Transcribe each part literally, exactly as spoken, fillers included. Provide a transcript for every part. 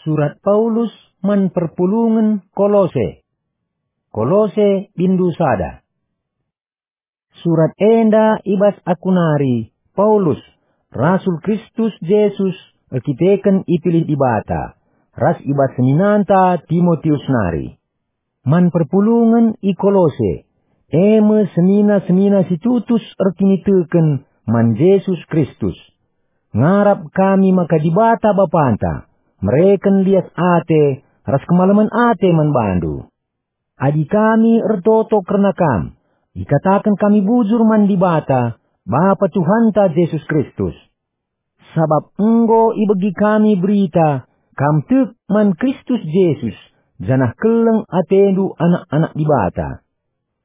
Surat Paulus man perpulungen Kolose. Kolose bindu sada. Surat enda i bas aku nari, Paulus, rasul Kristus Jesus, erkiteken ipilih Dibata, ras i bas seninanta Timotius nari. Man perpulungen i Kolose, e me senina-senina si tutus erkiniteken man Jesus Kristus. Ngarap kami maka Dibata Bapanta mereken lias ate ras kemalemen ate man bandu. Adi kami ertoto kerna kam, ikataken kami bujur man Dibata, Bapa Tuhanta Jesus Kristus. Sabap enggo ibegi kami berita, kam tek man Kristus Jesus, janah keleng atendu anak-anak Dibata.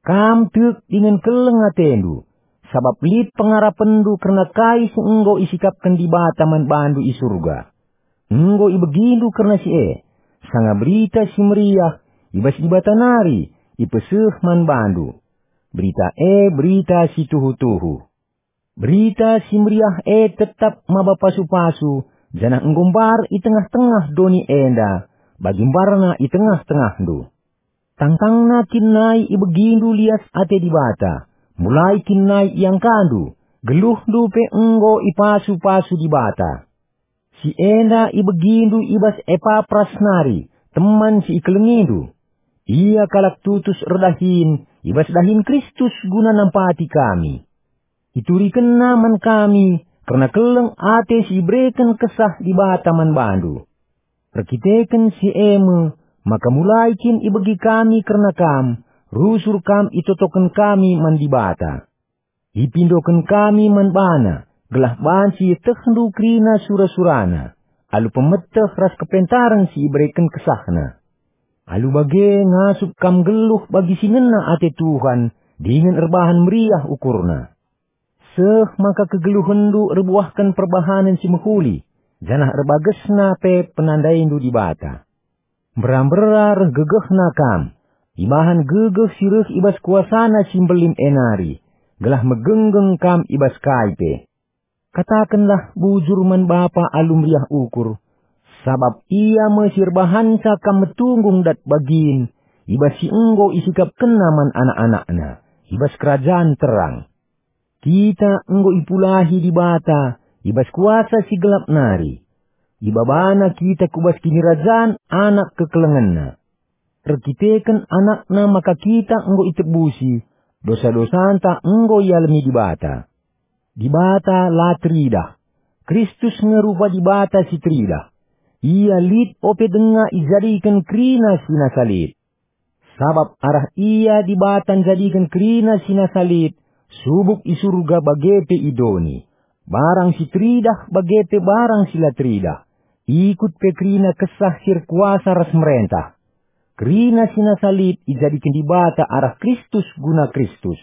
Kam tek dingen keleng atendu, sabap lit pengarapenndu kerna kai si enggo isikapken Dibata man bandu i Surga. Enggo ibegindu kerna si e, sanga Berita Si Meriah i bas Dibata nari ipeseh man bandu. Berita e berita si tuhu-tuhu. Berita Si Meriah e tetap maba pasu-pasu, janah enggo mbar i tengah-tengah doni enda, bagi mbarna i tengah-tengahndu. Tangtangna kin nai ibegindu lias ate Dibata, mulai kin nai iangkandu, geluhndu pe enggo ipasu-pasu Dibata. Si enda ibegindu i bas Epapras nari, teman si ikelengindu. Ia kalak tutus erdahin i bas dahin Kristus guna nampati kami. Iturikenna man kami kerna keleng ate si ibereken Kesah Dibata man bandu. Erkiteken si e me maka mulai kin ibegi kami kerna kam, rusur kam itotoken kami man Dibata. Ipindoken kami man baNa, gelah banci ietehndu kerina sura-suraNa, alu pemeteh ras kepentaren si ibereken KesahNa. Alu bage ngasup kam nggeluh bagi si ngena ate Tuhan dingen erbahan meriah ukurna. Seh maka kegeluhenndu erbuahken perbahanen si mehuli, janah erbagesna pe penandaindu Dibata. Mbera-mbera reh gegehna kam, ibahan gegeh si reh i bas kuasaNa si mbelin e nari, gelah megenggeng kam i bas kai pe. Katakenlah bujur man Bapa alu meriah ukur, sabap Ia me si erbahanca kam metunggung dat bagin i bas si enggo isikapkenNa man anak-anakNa i bas kerajan terang. Kita enggo ipulahi Dibata i bas kuasa si gelap nari. IbabaNa kita ku bas kinirajan Anak kekelengenNa. Erkiteken AnakNa maka kita enggo itebusi, dosa-dosanta enggo ialemi Dibata. Dibata la teridah. Kristus nge rupa Dibata si teridah. Ia lit ope denga ijadiken kerina si nasa lit. Sabap arah Ia Dibata njadiken kerina si nasa lit, subuk i Surga bage pe i doni, barang si teridah bage pe barang si la teridah, ikut pe kerina Kesah si erkuasa ras merentah. Kerina si nasa lit ijadiken Dibata arah Kristus guna Kristus.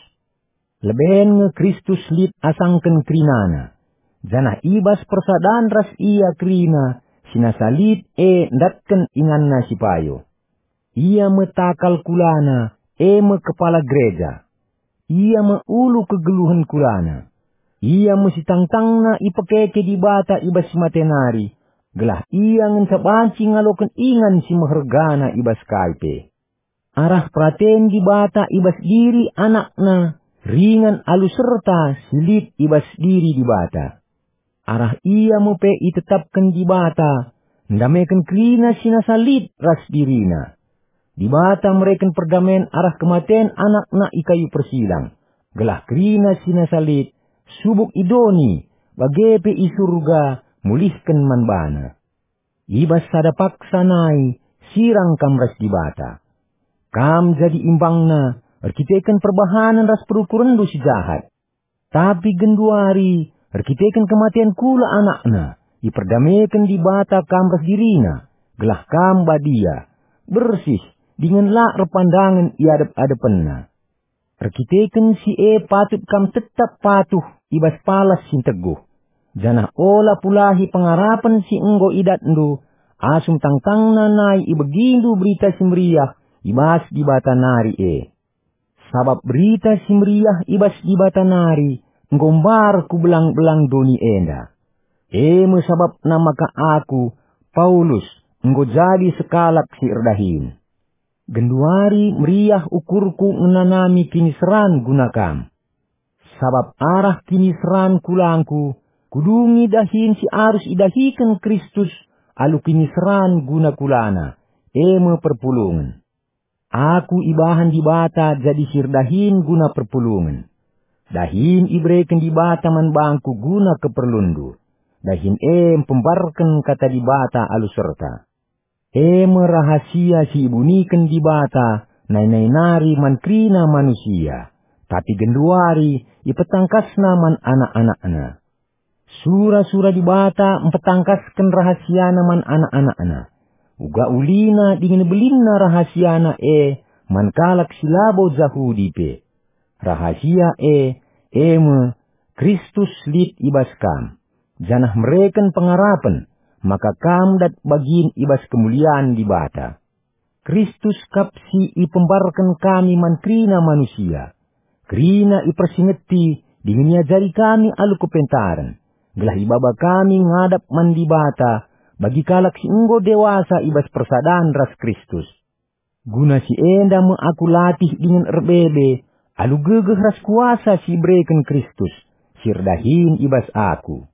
Leben nge Kristus lit asangken kerinana, janah i bas persadan ras Ia kerina si nasa lit e ndatken inganNa si payo. Ia me takal kulana, e me kepala gereja. Ia me ulu kegeluhen kulana. Ia me si tangtangna ipekeke Dibata i bas si mate nari, gelah Ia ngenca banci ngaloken ingan si mehergana i bas kai pe. Arah peraten Dibata i bas diri AnakNa ringan alu serta si lit i bas diri Dibata. Arah Ia me pe itetapken Dibata, ndameken kerina si nasa lit ras diriNa. Dibata mereken perdamen arah kematen AnakNa i kayu persilang, gelah kerina si nasa lit, subuk i doni, bage pe i Surga, mulihken man baNa. I bas sada paksa nai sirang kam ras Dibata. Kam jadi imbangNa erkiteken perbahanen ras perukurenndu si jahat. Tapi genduari, erkiteken kematen kula AnakNa, iperdameken Dibata kam ras diriNa, gelah kam badia, bersih, dingen la erpandangen i adep-adepenNa. Erkiteken si e patut kam tetap patuh i bas palas si nteguh, janah ola pulahi pengarapen si enggo idatndu, asum tangtangna nai ibegindu Berita Si Meriah i bas Dibata nari e. Sabap Berita Si Meriah i bas Dibata nari enggo mbar ku belang-belang doni enda. E me sabapna maka aku, Paulus, enggo jadi sekalak si erdahin. Genduari meriah ukurku ngenanami kiniseran guna kam. Sabap arah kiniseran kulangku, kudungi dahin si arus idahiken Kristus alu kiniseran guna kulana, e me perpulungen. Aku ibahan Dibata jadi si erdahin guna perpulungen. Dahin ibereken Dibata man bangku guna keperlunndu. Dahin e mpembarken kata Dibata alu serta. E me rahasia si ibuniken Dibata nai-nai nari man kerina manusia, tapi genduari ipetangkasNa man anak-anakNa. Sura-sura Dibata mpetangkasken rahasiaNa man anak-anakNa. Uga ulina dingen belinna rahasiaNa e man kalak si labo Jahudi pe. Rahasia e, e me, Kristus lit i bas kam, janah mereken pengarapen maka kam dat bagin i bas kemulian Dibata. Kristus kap si ipembarken kami man kerina manusia. Kerina ipersingeti dingen iajari kami alu kepentaren, gelah ibaba kami ngadap man Dibata bagi kalak si enggo dewasa i bas persadan ras Kristus. Guna si enda me aku latih dingen erbebe alu gegeh ras kuasa si ibereken Kristus, si erdahin i bas aku.